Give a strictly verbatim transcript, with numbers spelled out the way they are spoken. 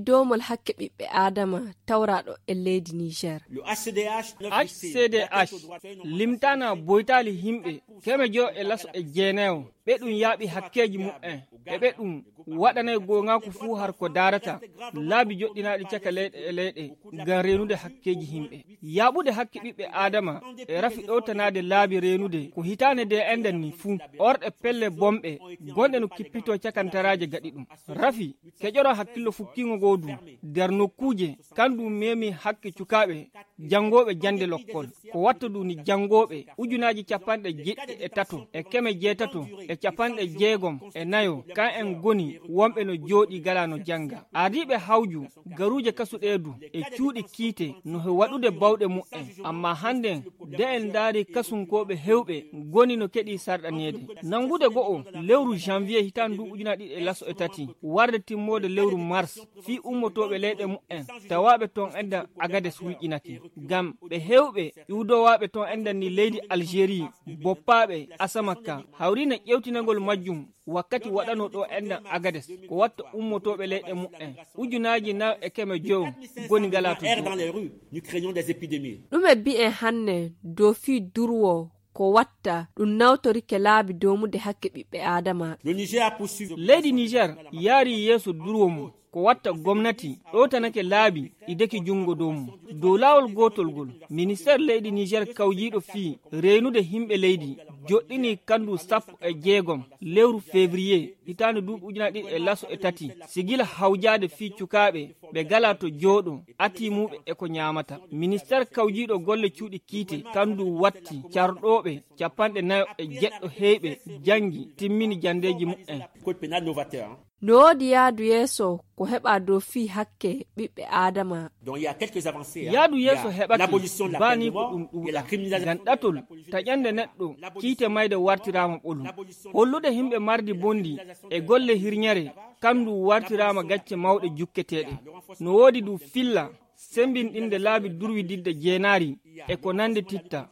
Doomol hakke ɓiɓɓe Aadama tawraaɗo e leydi Niger. H C D H limtaana boytaali himɓe keme jowo e laso e jeenayo, ɓe ɗum yaaɓi hakkeeji muɓɓen, e ɓe ɗum waɗanay goongaaku fuu har ko daarata laabi joɗɗinaaɗi caka leyɗe e leyɗe ngam reenude hakkeeji himɓe. Yaaɓude hakke ɓiɓɓe Aadama e rafi ɗowtanaade laabi reenude ko hitaande nde enɗen ni fuu, orɗe pelle bonɓe gonɗe no kippitoo cakantaraaje gaɗi ɗum. Rafi, keƴoro hakkillo fukkiingo ngoo du, nder nokkuuje, kan du meemi hakke cukaaɓe janngooɓe jannde lokkol. Ko watta du ni janngooɓe ujunaaji capanɗe jeɗɗi e tato e keme jeetato e capanɗe jeegom e nayo, kan en ngoni wonɓe no jooɗi gala no jannga. Ardiiɓe hawju, garuuje kasu ɗee du, e cuuɗi kiite no he waɗude bawɗe muɓɓen. Amma hannden, de en ndaari kasunkooɓe hewɓe ngoni no keɗi sarɗaneede. Nanngude go'o, lewru janvier hitaande ndu ujunaaji ɗiɗi e laso e tati, warde timmoode lewru mars, fii ummotooɓe leyɗe muɓɓen, tawaaɓe toon enɗan Agades wuyƴinake. Ngam ɓe hewɓe iwdowaaɓe toon enɗan ni leydi Algérie, boppaaɓe Asamaka, hawriino ƴewtinagol majjum wakkati waɗanoo ɗo enɗan Agades, ko watta ummotooɓe leyɗe muɓɓen, ujunaaji nayo e keme jowo ngoni ngalaa to juuɗe. Ɗume bi'en hanne dow fii durwo ko watta ɗum nawtorike laabi doomude hakke ɓiɓɓe Aadama? Leydi Niger yaari yeeso durwo mum ko watta gomnati ɗowtanake laabi ɗi deki junngo dow mum. Dow laawol gootol ngol, ministeer leydi Niger kawjiiɗo fii reenude himɓe leydi joɗɗini kanndu sappo e jeegom lewru février hitaande duuɓi ujunaaji ɗiɗi e laso e tati, sigila hawjaade fii cukaaɓe ɓe gala to jooɗo, atiimuɓe e ko ñaamata. Ministeer kawjiiɗo golle cuuɗi kiite kanndu watti carɗooɓe capanɗe nayo e jeɗɗo heyɓe janngi timmini janndeeji muɓɓen. No woodi yaadu yeeso ko heɓaa dow fii hakke ɓiɓɓe Aadama? Yaadu yeeso heɓake baani ko ɗum ɗuuɗa. Ngam ɗatol taƴande neɗɗo kiite mayde wartiraama ɓolum. Hollude himɓe mardi bonndi e golle hirñere kanndu wartiraama gacce mawɗe jukketeeɗe. No woodi du filla sembinɗinde laabi durwididde jeenaari e ko nande titta.